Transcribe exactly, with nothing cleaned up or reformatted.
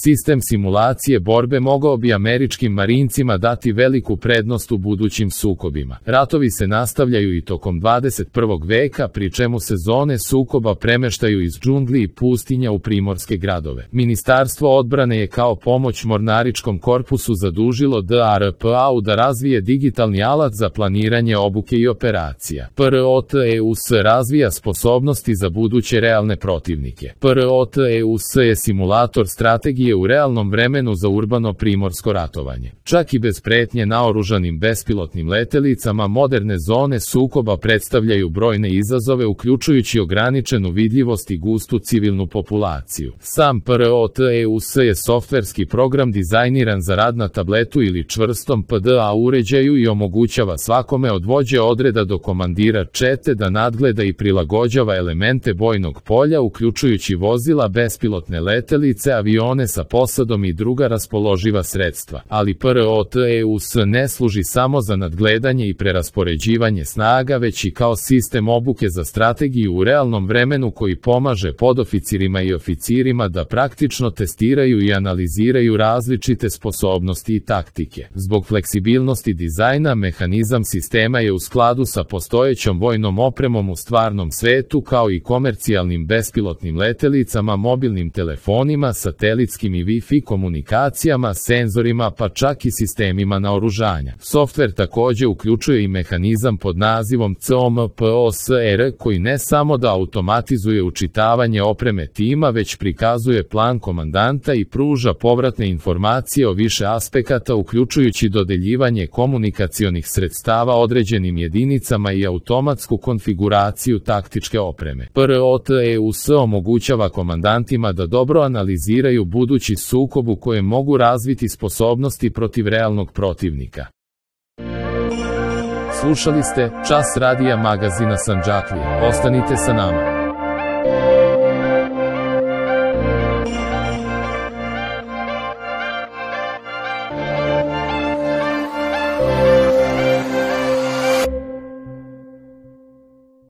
Sistem simulacije borbe mogao bi američkim marincima dati veliku prednost u budućim sukobima. Ratovi se nastavljaju i tokom dvadeset prvog veka, pri čemu se zone sukoba premeštaju iz džungli i pustinja u primorske gradove. Ministarstvo odbrane je kao pomoć mornaričkom korpusu zadužilo D R P A-u da razvije digitalni alat za planiranje obuke i operacija. P R O T E U S razvija sposobnosti za buduće realne protivnike. P R O T E U S je simulator strategije u realnom vremenu za urbano primorsko ratovanje. Čak i bez pretnje naoružanim bespilotnim letelicama, moderne zone sukoba predstavljaju brojne izazove, uključujući ograničenu vidljivost i gustu civilnu populaciju. Sam P R O T E U S je softverski program dizajniran za rad na tabletu ili čvrstom P D A uređaju i omogućava svakome od vođe odreda do komandira čete da nadgleda i prilagođava elemente bojnog polja, uključujući vozila, bespilotne letelice, avione sa posadom i druga raspoloživa sredstva. Ali P R O T E U S ne služi samo za nadgledanje i preraspoređivanje snaga, već i kao sistem obuke za strategiju u realnom vremenu koji pomaže podoficirima i oficirima da praktično testiraju i analiziraju različite sposobnosti i taktike. Zbog fleksibilnosti dizajna, mehanizam sistema je u skladu sa postojećom vojnom opremom u stvarnom svetu, kao i komercijalnim bespilotnim letelicama, mobilnim telefonima, satelitskim i Wi-Fi komunikacijama, senzorima, pa čak i sistemima naoružanja. Softver takođe uključuje i mehanizam pod nazivom C O M P O S R koji ne samo da automatizuje učitavanje opreme tima, već prikazuje plan komandanta i pruža povratne informacije o više aspekata, uključujući dodeljivanje komunikacionih sredstava određenim jedinicama i automatsku konfiguraciju taktičke opreme. P R O T E U S omogućava komandantima da dobro analiziraju budući sukob u kojem mogu razviti sposobnosti protiv realnog protivnika. Slušali ste Čas radija magazina Sandžaklija. Ostanite sa nama.